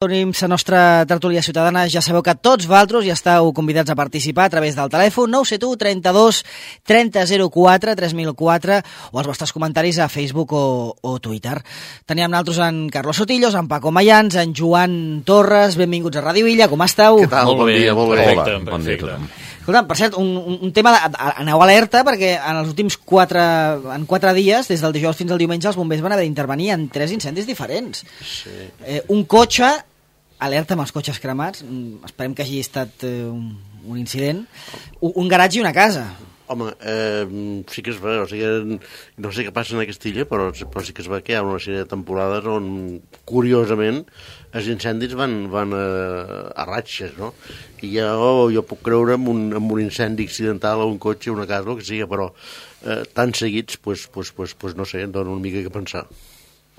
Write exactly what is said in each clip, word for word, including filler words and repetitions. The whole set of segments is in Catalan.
Tenim la nostra tertúlia ciutadana. Ja sabeu que tots vosaltres ja esteu convidats a participar a través del telèfon nou set u trenta-dos trenta zero quatre tres mil quatre o els vostres comentaris a Facebook o, o Twitter. Teníem nosaltres en Carlos Sotillos, en Paco Mayans, en Joan Torres. Benvinguts a Ràdio Illa, com esteu? Què tal? Molt bon bé, dia, molt bé. perfecte, Hola, bon dia a tothom. Escolta, per cert, un, un, un tema, de, aneu alerta, perquè en els últims quatre, en quatre dies, des del dijous fins al diumenge, els bombers van haver d'intervenir en tres incendis diferents. Sí. Eh, un cotxe, alerta amb els cotxes cremats, esperem que hagi estat eh, un, un incident, un, un garatge i una casa. Home, eh, sí que es veu, o sigui, no sé què passa en aquesta illa, però, però sí que es veu que hi ha una sèrie de temporades on, curiosament, els incendis van, van a, a ratxes, no? I jo, jo puc creure en un, en un incendi accidental a un cotxe, una casa, el que sigui, però eh, tan seguits, pues, pues, pues, pues, no sé, em dona una mica que pensar.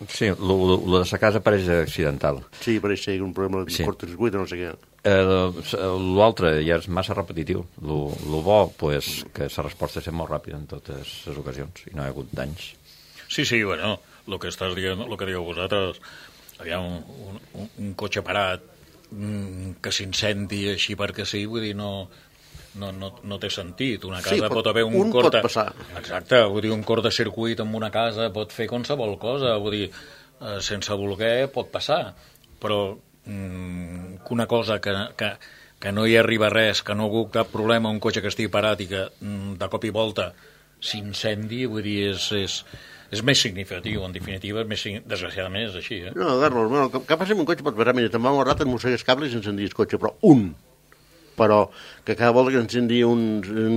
Sí, el de la casa pareix accidental. Sí, pareix ser un problema de Sí. cortocircuit, no sé què. Eh, L'altre ja és massa repetitiu. El bo, pues, que la resposta és molt ràpida en totes les ocasions i no hi ha hagut danys. Sí, sí, bueno, el que estàs dient, el que dieu vosaltres, hi ha un, un, un cotxe parat mm, que s'incendi així perquè sí, vull dir, no, no, no, no té sentit. Una casa Sí, pot- pot haver un, un cort... pot passar. Exacte, vull dir, un cort de circuit en una casa pot fer qualsevol cosa, vull dir, eh, sense voler pot passar, però mm, que una cosa que, que, que no hi arriba res, que no hi ha hagut cap problema, un cotxe que estigui parat i que mm, de cop i volta s'incendi, vull dir, és, és, és més significatiu, en definitiva, és més, signi- desgraciadament és així, eh? No, Carlos, bueno, el que passa amb un cotxe pot passar, mira, te'n va un rato, et mossegues cables i s'encendis el cotxe, però un. Però que cada volta que encendi un,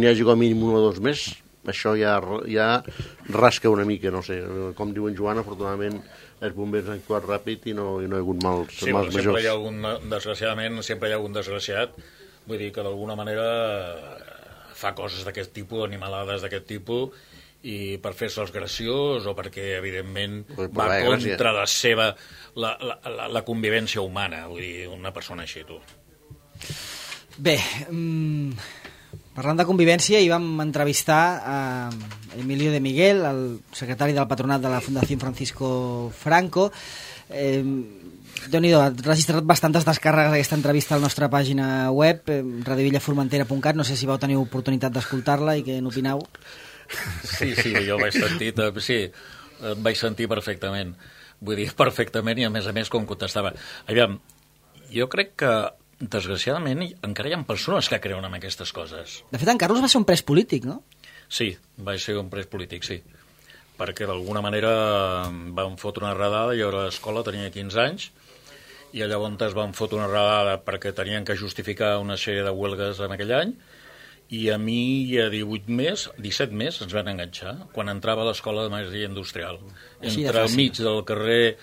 n'hi hagi com a mínim un o dos més, això ja, ja rasca una mica, no sé. Com diu en Joan, afortunadament els bombers han actuat ràpid i no, i no hi ha hagut mals, Sí, mals però sempre hi ha majors. algun, desgraciadament, sempre hi ha algun desgraciat, vull dir que d'alguna manera fa coses d'aquest tipus, animalades d'aquest tipus, i per fer-se els graciós o perquè, evidentment, Per va la gràcia. contra la seva, la, la, la, la convivència humana, vull dir, una persona així, tu. Bé, mm, parlant de convivència, hi vam entrevistar a Emilio de Miguel, el secretari del patronat de la Fundació Francisco Franco. Eh, Déu-n'hi-do, ha registrat bastantes descàrregues d'aquesta entrevista a la nostra pàgina web, eh, radiovillaformentera punt cat. No sé si vau tenir oportunitat d'escoltar-la i què n'opineu. Sí, sí, jo vaig sentir, sí, et vaig sentir perfectament. Vull dir, perfectament, i a més a més com contestava. Aviam, jo crec que, desgraciadament, encara hi ha persones que creuen en aquestes coses. De fet, en Carlos va ser un pres polític, no? Sí, vaig ser un pres polític, sí. Perquè d'alguna manera van fotre una redada, jo a l'escola tenia quinze anys, i llavors es van fotre una redada perquè tenien que justificar una sèrie de huelgues en aquell any, i a mi a divuit més, disset més, ens van enganxar, quan entrava a l'escola de Maestria Industrial, Així de entre fàcil. mig del carrer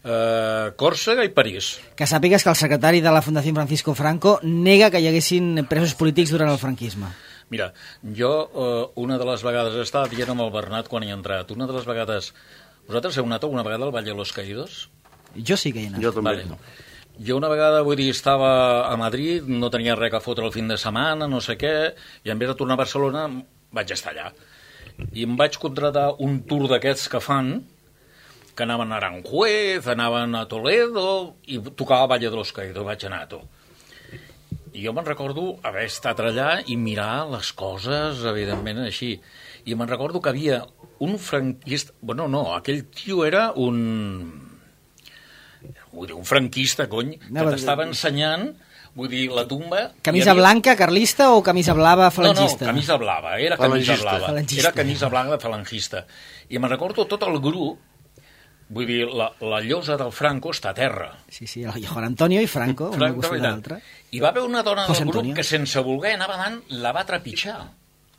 eh, Còrsega i París. Que sàpigues que el secretari de la Fundació Francisco Franco nega que hi haguessin presos polítics durant el franquisme. Mira, jo eh, una de les vegades he estat dient amb el Bernat quan hi he entrat, una de les vegades... Vosaltres heu anat alguna vegada al Valle de los Caídos? Jo sí que hi he anat. Jo també. Vale. Jo una vegada, vull dir, estava a Madrid, no tenia res a fotre el fin de setmana, no sé què, i en vez de tornar a Barcelona vaig estar allà. I em vaig contratar un tour d'aquests que fan, que anaven a Aranjuez, anaven a Toledo, i tocava Valle de los Caídos, vaig anar a tu. I jo me'n recordo haver estat allà i mirar les coses, evidentment, així. I me'n recordo que havia un franquista... Bueno, no, aquell tio era un... Vull dir, un franquista, cony, que No, t'estava ensenyant, vull dir, la tumba... Camisa hi havia... blanca, carlista, o camisa blava, falangista? No, no, camisa blava, era camisa Falangista. blava. Falangista. Era camisa blava falangista. I me'n recordo tot el grup, vull dir, la, la llosa del Franco està a terra. Sí, sí, el Juan Antonio i Franco, una Franco, costat i tant. l'altra. I va haver una dona José del grup Antonio. que sense voler anava davant, la va trepitjar.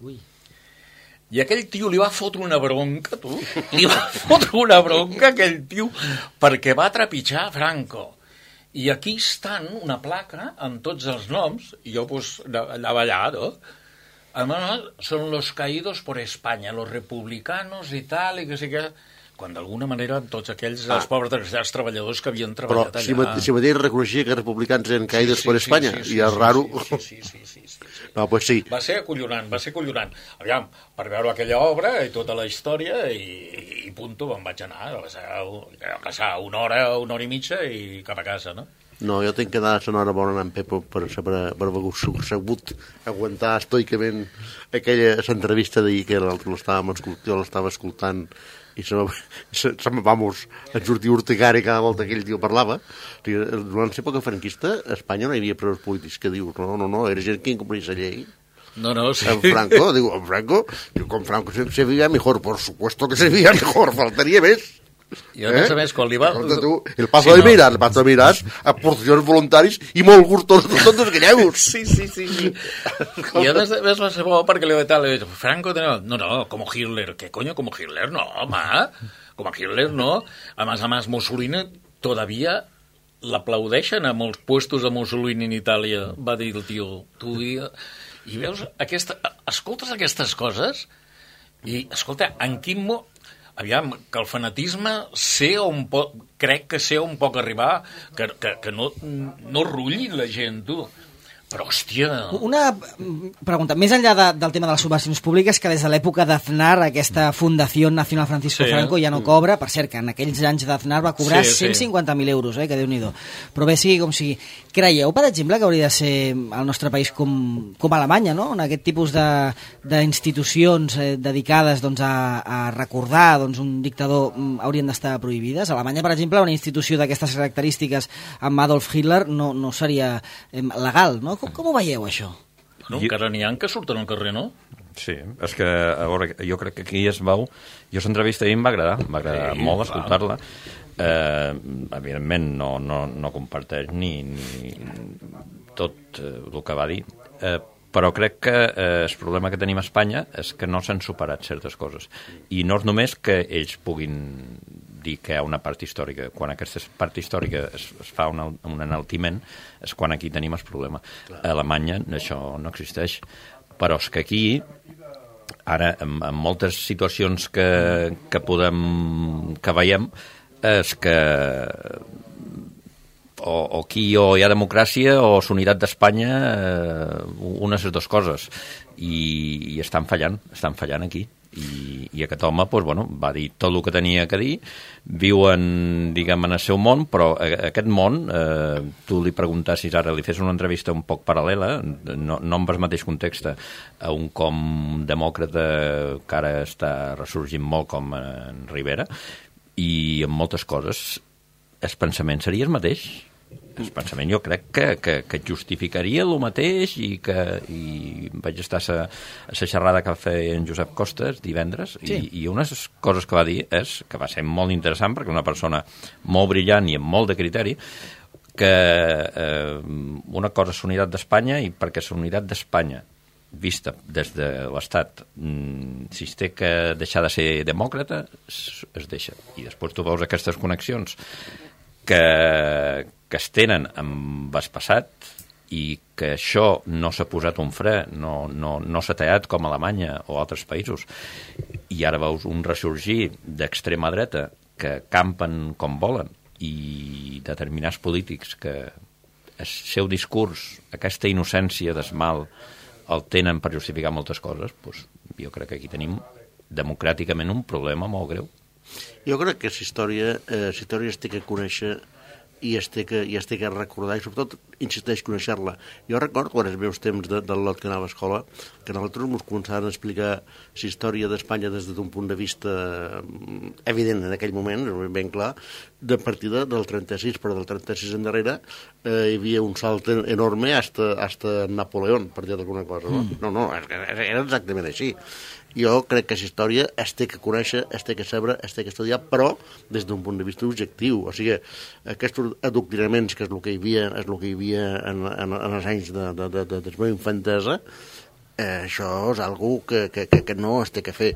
Ui. I aquell tio li va fotre una bronca, tu, li va fotre una bronca aquell tio perquè va trepitjar Franco. I aquí estan una placa amb tots els noms, i jo pues, anava allà, no? Además, son los caídos por España, los republicanos i tal, i que sí que... Quan d'alguna manera tots aquells, ah. els pobres desgraciats treballadors que havien Però treballat allà... si, ma- si mateix reconeixia que els republicans eren caïdes per Espanya, sí, sí, i és sí, raro... Sí, sí, sí, sí, sí, sí. No, pues sí. Va ser acollonant, va ser acollonant. Aviam, per veure aquella obra i tota la història, i, i punto, me'n vaig anar. Va ser, va passar una hora, una hora i mitja i cap a casa, no? No, jo tinc que dar l'enhorabona a en Pepo per, per, per haver sabut aguantar estoicament aquella entrevista d'ahir que l'estàvem escoltant, jo l'estava escoltant i se me, se, se me, vamos, en sortir urticari cada volta que ell tio parlava. O sigui, durant l'època franquista a Espanya no hi havia presos polítics que dius, no, no, no, era gent que incomplís la llei. No, no, sí. En Franco, digo, en Franco, digo, con Franco se, se vivía mejor, por supuesto que se vivía mejor, faltaria més. I a més a més, quan li va... Tu, el paso sí, de mirar, no. el paso de mirar, a porcions voluntaris i molt gustos tots els gallegos. Sí, sí, sí. sí. I a més, a més va ser bo perquè li va dir, Franco, no, no, como Hitler. ¿Qué coño, como Hitler? No, ma, como Hitler no. A més a més, Mussolini todavía l'aplaudeixen a molts puestos de Mussolini en Itàlia, va dir el tio. Tu, i, i veus, aquesta, escoltes aquestes coses i, escolta, en quin mo... Aviam, que el fanatisme sé on pot, crec que sé on pot arribar, que, que, que no, no rulli la gent, tu. Però, hòstia... Una pregunta, més enllà de, del tema de les subvencions públiques, que des de l'època d'Aznar, aquesta Fundació Nacional Francisco sí, Franco ja no cobra, per cert, que en aquells anys d'Aznar va cobrar sí, sí. cent cinquanta mil euros, eh, que Déu-n'hi-do. Però bé, sigui com sigui. Creieu, per exemple, que hauria de ser el nostre país com, com Alemanya, no? En aquest tipus d'institucions eh, dedicades doncs, a, a recordar doncs, un dictador haurien d'estar prohibides? A Alemanya, per exemple, una institució d'aquestes característiques amb Adolf Hitler no, no seria eh, legal, no? Com, com ho veieu, això? No, encara n'hi ha que surten al carrer, no? Sí, és que, a veure, jo crec que aquí es veu... Jo l'entrevista ahir em va agradar, em va agradar sí, molt escoltar-la. Eh, evidentment, no, no, no comparteix ni, ni tot eh, el que va dir, eh, però crec que eh, el problema que tenim a Espanya és que no s'han superat certes coses. I no és només que ells puguin dir que hi ha una part històrica. Quan aquesta part històrica es, es fa un, un enaltiment és quan aquí tenim el problema. A Alemanya això no existeix. Però és que aquí, ara, en, en moltes situacions que, que podem, que veiem, és que o, o aquí o hi ha democràcia o l'unitat d'Espanya, eh, una de les dues coses. I, i estan fallant, estan fallant aquí. I, i aquest home pues, bueno, va dir tot el que tenia que dir, viuen diguem, en el seu món, però aquest món eh, tu li preguntassis ara, li fes una entrevista un poc paral·lela, no, no en el mateix context a un com demòcrata que ara està ressorgint molt com en Rivera, i en moltes coses el pensament seria el mateix. El pensament jo crec que, que, que justificaria el mateix i que i vaig estar a la xerrada que va fer en Josep Costes divendres sí. i, i una de les coses que va dir és que va ser molt interessant perquè una persona molt brillant i amb molt de criteri que eh, una cosa és la unitat d'Espanya i perquè la unitat d'Espanya vista des de l'Estat si es té que deixar de ser demòcrata es, es deixa i després tu veus aquestes connexions que, que es tenen amb el passat i que això no s'ha posat un fre, no, no, no s'ha tallat com a Alemanya o altres països. I ara veus un ressorgir d'extrema dreta que campen com volen i determinats polítics que el seu discurs, aquesta innocència del mal, el tenen per justificar moltes coses, doncs jo crec que aquí tenim democràticament un problema molt greu. Jo crec que la història, eh, la història es té que conèixer i es té que, i es té que recordar i sobretot insisteix conèixer-la. Jo recordo quan els meus temps de, del lot que anava a escola que nosaltres ens començaven a explicar la història d'Espanya des d'un punt de vista evident en aquell moment, ben clar, de partida del trenta-sis, però del trenta-sis en darrere eh, hi havia un salt enorme hasta, hasta Napoleón, per dir alguna cosa. No, mm. no, no era exactament així. Jo crec que la història es té que conèixer, es té que saber, es té que estudiar, però des d'un punt de vista objectiu. O sigui, aquests adoctrinaments, que és el que hi havia, és el que hi havia en, en, en els anys de, de, de, de, de la meva infantesa, eh, això és algo que, que, que, que no es té que fer.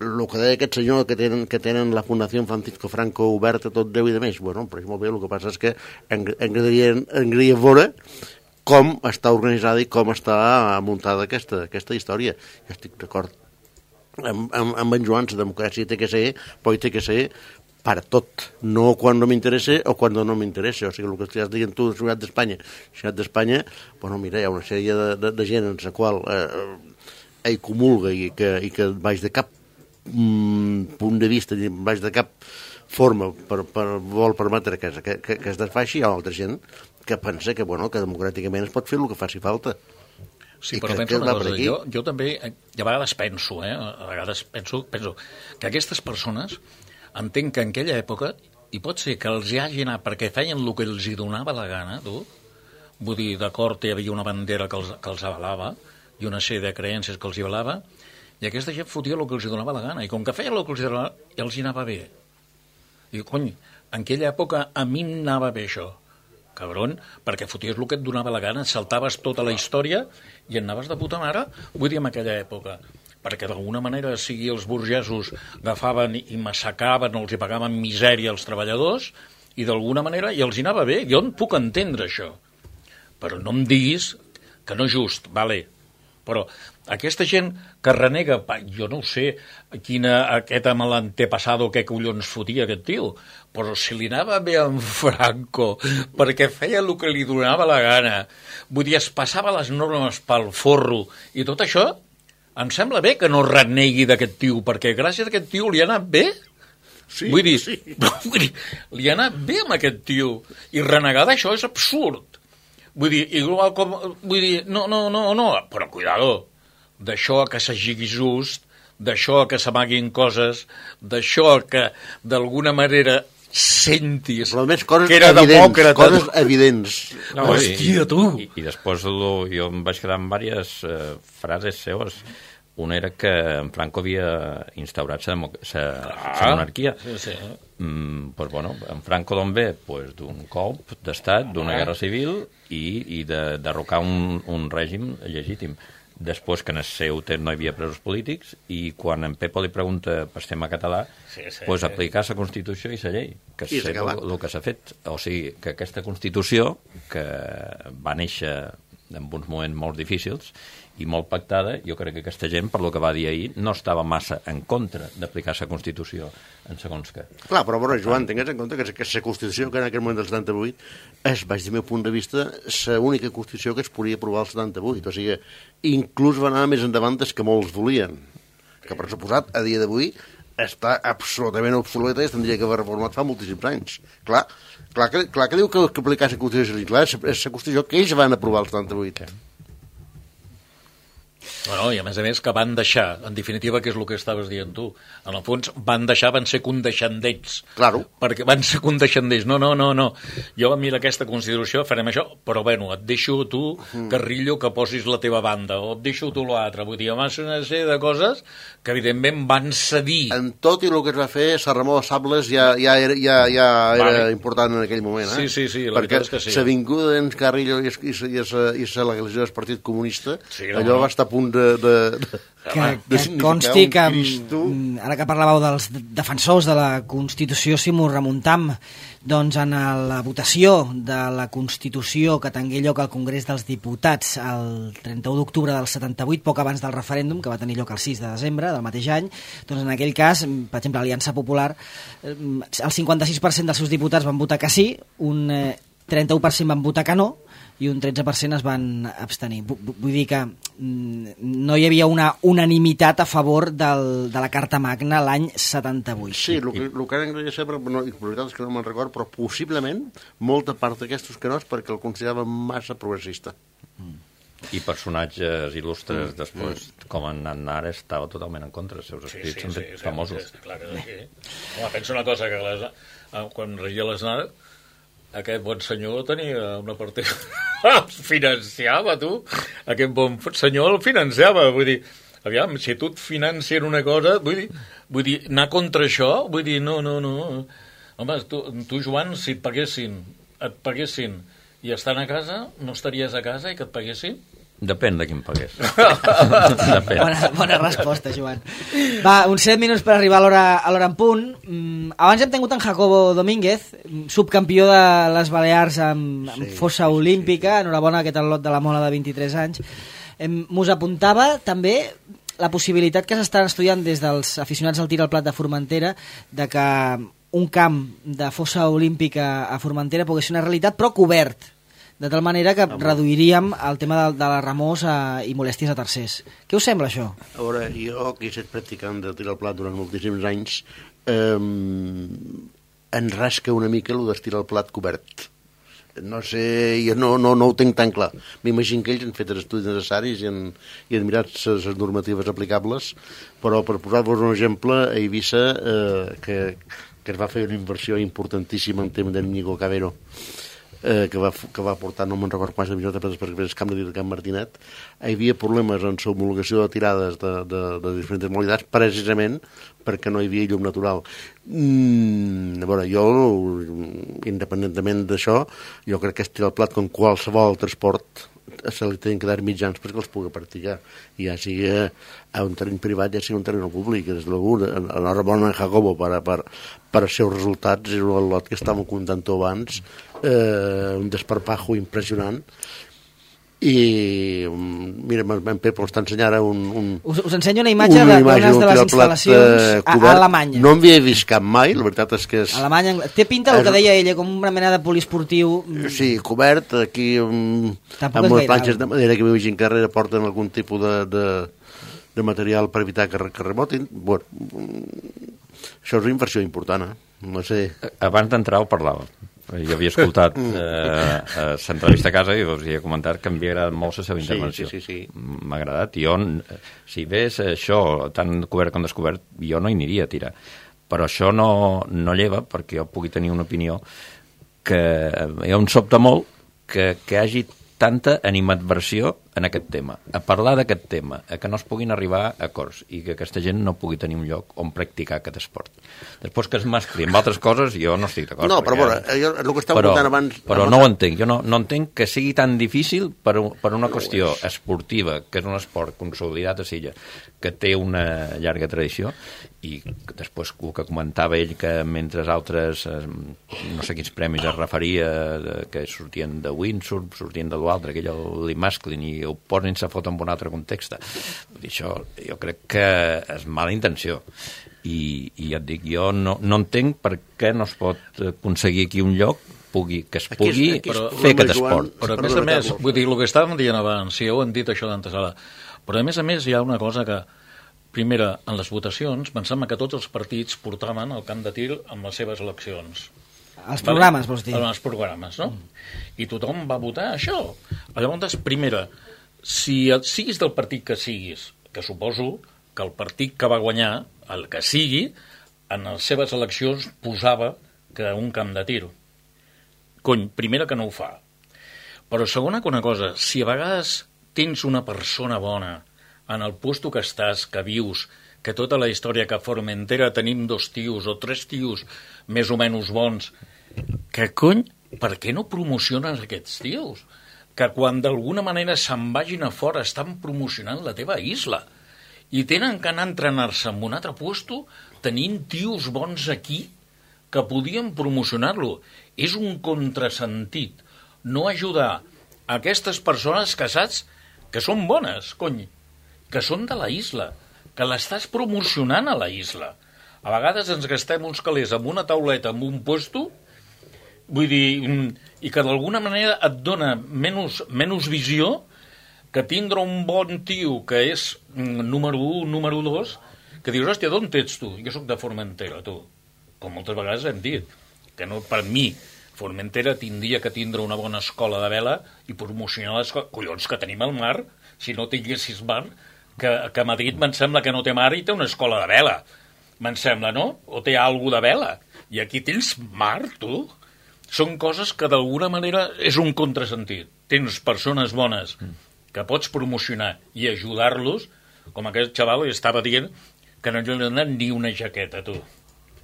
El que deia aquest senyor que tenen, que tenen la Fundació Francisco Franco oberta tot Déu i de més, bueno, però és molt bé, el que passa és que m'agradaria veure com està organitzada i com està muntada aquesta, aquesta història. Jo estic d'acord amb, amb, amb en Joan, la democràcia té que ser, però té que ser per tot, no quan no m'interessa o quan no m'interessa. O sigui, el que estàs dient tu de la Ciutat d'Espanya, la Ciutat d'Espanya, bueno, mira, hi ha una sèrie de, de, de gent en la qual eh, ell comulga i que, i que baix de cap mm, punt de vista, baix de cap forma per, per, vol permetre que, que, que es desfaixi, hi ha altra gent que pensa que, bueno, que democràticament es pot fer el que faci falta. Sí, I però que, penso que una va per cosa, aquí. jo, jo també, i a vegades penso, eh, a vegades penso, penso que aquestes persones entenc que en aquella època, i pot ser que els hi hagi anat perquè feien el que els hi donava la gana, tu, vull dir, d'acord, hi havia una bandera que els, que els avalava, i una sèrie de creences que els hi avalava, i aquesta gent fotia el que els hi donava la gana, i com que feien el que els hi donava, ja els hi anava bé. I, cony, en aquella època a mi em anava bé això, cabron, perquè foties el que et donava la gana, saltaves tota la història i anaves de puta mare, vull dir, en aquella època. Perquè d'alguna manera, sigui els burgesos agafaven i massacraven o els hi pagaven misèria als treballadors, i d'alguna manera i els hi anava bé. Jo en puc entendre això. Però no em diguis que no és just, vale. Però aquesta gent que renega, jo no sé quina, aquest amb l'antepassado, què collons fotia aquest tio, però si li anava bé a en Franco perquè feia el que li donava la gana, vull dir, es passava les normes pel forro i tot això, em sembla bé que no renegui d'aquest tio, perquè gràcies a aquest tio li ha anat bé. Sí, vull dir, sí. vull dir, li ha anat bé amb aquest tio, i renegar d'això és absurd. Vull dir, igual com... Vull dir, no, no, no, no, però cuidado, d'això que s'hagi just, d'això que s'amaguin coses, d'això que d'alguna manera sentis Però més coses que era evidents, demòcrata. coses evidents. No, Hòstia, tu! I, i després lo, jo em vaig quedar amb diverses eh, frases seves. Una era que en Franco havia instaurat la monarquia. Sí, sí. Mm, pues bueno, en Franco d'on ve? Pues d'un cop d'estat, d'una guerra civil i, i de derrocar un, un règim legítim. Després que en el seu temps no hi havia presos polítics i quan en Pepo li pregunta per tema català, sí, sí, pues sí. aplicar la Constitució i la llei, que I és s'ha acabat. el que s'ha fet. O sigui, que aquesta Constitució, que va néixer en uns moments molt difícils i molt pactada, jo crec que aquesta gent, per lo que va dir ahir, no estava massa en contra d'aplicar la Constitució en segons què. Clar, però, però Joan, tingues en compte que la Constitució que en aquell moment del setanta-vuit és, baix del meu punt de vista, l'única Constitució que es podia aprovar al setanta-vuit. O sigui, inclús va anar més endavant des que molts volien. Que, per suposat, a dia d'avui està absolutament obsoleta i es tindria que haver reformat fa moltíssims anys. Clar, clar, que, clar que diu que, que aplicar la Constitució, clar, és la Constitució que ells van aprovar al setanta-vuit. Bueno, i a més a més que van deixar, en definitiva, que és el que estaves dient tu, en el fons van deixar, van ser condescendents. Claro. Perquè van ser condescendents. No, no, no, no. Jo, mira aquesta Constitució, farem això, però bueno, et deixo tu, Carrillo, que posis la teva banda, o et deixo tu l'altre. Vull dir, va ser una sèrie de coses que, evidentment, van cedir. En tot i el que es va fer, Sant Ramon de Sables ja, ja era, ja, ja era Vale. important en aquell moment. Eh? Sí, sí, sí, la perquè veritat és que sí. la vinguda d'en Carrillo i, i, i, i la legalització del Partit Comunista, Sí, no, allò no. va estar a punt de... de, de que, de que significar consti un que, Cristo. mm, ara que parlàveu dels defensors de la Constitució, si m'ho remuntam, doncs en la votació de la Constitució que tingué lloc al Congrés dels Diputats el trenta-u d'octubre del setanta-vuit, poc abans del referèndum, que va tenir lloc el sis de desembre del mateix any, doncs en aquell cas, per exemple, l'Aliança Popular, el cinquanta-sis per cent dels seus diputats van votar que sí, un trenta-u per cent van votar que no, i un tretze per cent es van abstenir. Vull dir que no hi havia una unanimitat a favor del, de la Carta Magna l'any setanta-vuit. Sí, el que, el que ara m'agradaria saber, però no, la veritat és que no me'n record, però possiblement molta part d'aquestos que no és perquè el consideraven massa progressista. I personatges il·lustres mm. després, mm. com en Aznar, estava totalment en contra. Els seus escrits sí, sí, són sí, famosos. Sí, sí, clar que sí. Home, penso una cosa, que les, quan regia l'Aznar, aquest bon senyor tenia una partida... el financiava, tu. Aquest bon senyor el financiava. Vull dir, aviam, si tu et financien una cosa, vull dir, vull dir, anar contra això, vull dir, no, no, no. Home, tu, tu Joan, si et paguessin, et paguessin i estan a casa, no estaries a casa i que et paguessin? Depèn de qui em pagués. Depèn. Bona, bona resposta, Joan. Va, uns set minuts per arribar a l'hora a l'hora en punt. Mm, abans hem tingut en Jacobo Domínguez, subcampió de les Balears amb, amb Sí, fossa sí, olímpica, enhorabona aquest al·lot de la Mola de vint-i-tres anys. Em, mos apuntava també la possibilitat que s'estan estudiant des dels aficionats al tir al plat de Formentera de que un camp de fossa olímpica a Formentera pogués ser una realitat, però cobert, de tal manera que reduiríem el tema de, de la remors a, i molèsties a tercers. Què us sembla, això? A veure, jo, que he estat practicant de tirar al plat durant moltíssims anys, eh, en rasca una mica el d'estirar el plat cobert. no sé, jo no, no, no ho tinc tan clar. M'imagino que ells han fet els estudis necessaris i han, i han mirat les normatives aplicables, però per posar-vos un exemple, a Eivissa, eh, que, que es va fer una inversió importantíssima en tema del Nico Cabero, eh, que, va, que va portar, no me'n recordo quants milions de pesos perquè és camp de Can Martinet, hi havia problemes en l'homologació de tirades de, de, de diferents modalitats, precisament perquè no hi havia llum natural. Mm, a veure, jo, independentment d'això, jo crec que estic al plat com qualsevol transport se li tenen que dar mitjans perquè els pugui practicar, ja sigui a un terreny privat, ja sigui un terreny públic. Des de l'algú, enhorabona a Jacobo per, per, per als seus resultats, és un lot que estàvem contant abans, eh, un desparpajo impressionant. I mira, en Pep us t'ensenyar ara un, un... Us, us ensenyo una imatge d'unes de les instal·lacions eh, a, a Alemanya. No en havia vist cap mai, la veritat és que és... Alemanya, té pinta el que deia ella, com una mena de poliesportiu... Sí, cobert, aquí um, amb unes planxes de madera que m'imagino que darrere porten algun tipus de, de, de material per evitar que, que remotin. Bueno, això és una inversió important, eh? No sé... Abans d'entrar ho parlàvem. Jo havia escoltat eh, l'entrevista a casa i us havia comentat que m'havia agradat molt la seva intervenció. Sí, sí, sí, sí. M'ha agradat. Jo, si ves això tan cobert com descobert, jo no hi aniria a tirar. Però això no, no lleva perquè jo pugui tenir una opinió que jo em sobta molt que, que hi hagi tanta animadversió en aquest tema, a parlar d'aquest tema, a que no es puguin arribar a acords i que aquesta gent no pugui tenir un lloc on practicar aquest esport. Després que es mescli amb altres coses, jo no estic d'acord. No, però veure, jo, el que estava contant abans... Però no ho entenc, jo no, no entenc que sigui tan difícil per, per una qüestió esportiva, que és un esport consolidat a Silla, que té una llarga tradició, i després el que comentava ell, que mentre altres, no sé quins premis es referia, que sortien de windsurf, sortien de l'altre, aquell li masclin i ho posin a foto en un altre context. Vull dir, això jo crec que és mala intenció. I, i ja et dic, jo no, no entenc per què no es pot aconseguir aquí un lloc pugui, que es pugui aquí és, aquí és, fer aquest esport. Però a més a més, vull dir, el que estàvem dient abans, si heu dit això d'antesala, però a més a més hi ha una cosa que, primera, en les votacions, pensem que tots els partits portaven el camp de tir amb les seves eleccions. Els programes, vols dir? Els programes, no? I tothom va votar això. Llavors, primera, si siguis del partit que siguis, que suposo que el partit que va guanyar, el que sigui, en les seves eleccions posava que un camp de tir. Cony, primera que no ho fa. Però segona que una cosa, si a vegades tens una persona bona en el puesto que estàs, que vius, que tota la història que a Formentera tenim dos tios o tres tios més o menys bons, que cony, per què no promociones aquests tios? Que quan d'alguna manera se'n vagin a fora estan promocionant la teva isla i tenen que anar a entrenar-se en un altre puesto tenint tios bons aquí que podien promocionar-lo. És un contrasentit no ajudar a aquestes persones que saps que són bones, cony, que són de la isla, que l'estàs promocionant a la isla. A vegades ens gastem uns calés amb una tauleta, amb un puesto, vull dir, i que d'alguna manera et dona menys, menys visió que tindre un bon tio que és número un, número dos, que dius, hòstia, d'on ets tu? Jo sóc de Formentera, tu. Com moltes vegades hem dit, que no, per mi, Formentera tindria que tindre una bona escola de vela i promocionar l'escola. Collons, que tenim el mar, si no tinguessis mar, que, que a Madrid me'n sembla que no té mar i té una escola de vela. Me'n sembla, no? O té alguna de vela. I aquí tens mar, tu. Són coses que d'alguna manera és un contrasentit. Tens persones bones que pots promocionar i ajudar-los, com aquest xaval que estava dient que no li ha donat ni una jaqueta, tu.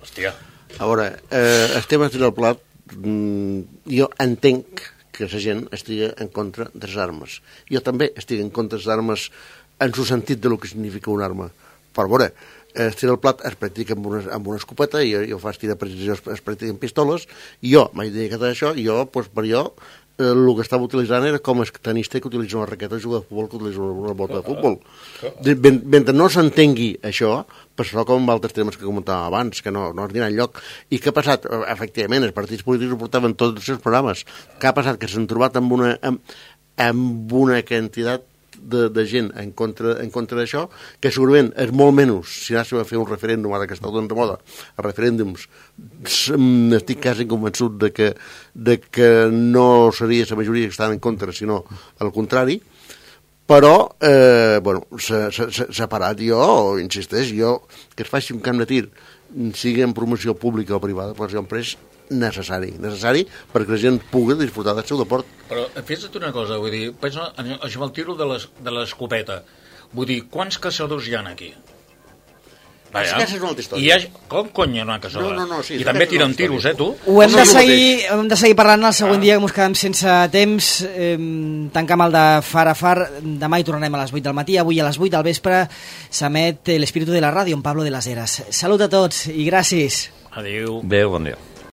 Hòstia. A veure, eh, estem estic al plat, mm, jo entenc que la gent estigui en contra de les armes. Jo també estic en contra de les armes en el sentit de lo que significa una arma. Per veure, estic al plat es practica amb una, amb una escopeta, i jo, jo faig tir de precisió, es, es practica amb pistoles, i jo m'he dedicat a això, i jo, doncs, per jo, eh, el que estava utilitzant era com el tenista que utilitza una raqueta de jugar de futbol que utilitza una, una bota de futbol. De, ben, mentre no s'entengui això, passarà com amb altres temes que comentàvem abans, que no, no es dirà enlloc. I què ha passat? Efectivament, els partits polítics ho portaven tots els seus programes. Què ha passat? Que s'han trobat amb una, amb, amb una quantitat de, de gent en contra, en contra d'això, que segurament és molt menys si anàssim a fer un referèndum, ara que està tot de moda, els referèndums, estic quasi convençut de que, de que no seria la majoria que estan en contra, sinó al contrari. Però, eh, bueno, s'ha parat. Jo, insisteix, jo, que es faci un camp de tir, sigui en promoció pública o privada, però sempre és necessari, necessari perquè la gent pugui disfrutar del seu deport. Però fes-te una cosa, vull dir, pensa, això amb el tiro de l'escopeta, vull dir, quants caçadors hi ha aquí? Les caces és una altra història. I ha... Com cony hi ha una caçadora? No, no, no, sí, I també tiren tiros, eh, tu? Ho hem de seguir, hem de seguir parlant el següent ah. dia, que ens quedem sense temps. Eh, tancam el de Far a Far. Demà hi tornarem a les vuit del matí. Avui a les vuit del vespre s'emet l'Espíritu de la Ràdio amb Pablo de las Heras. Salut a tots i gràcies. Adéu. Adéu, bon dia.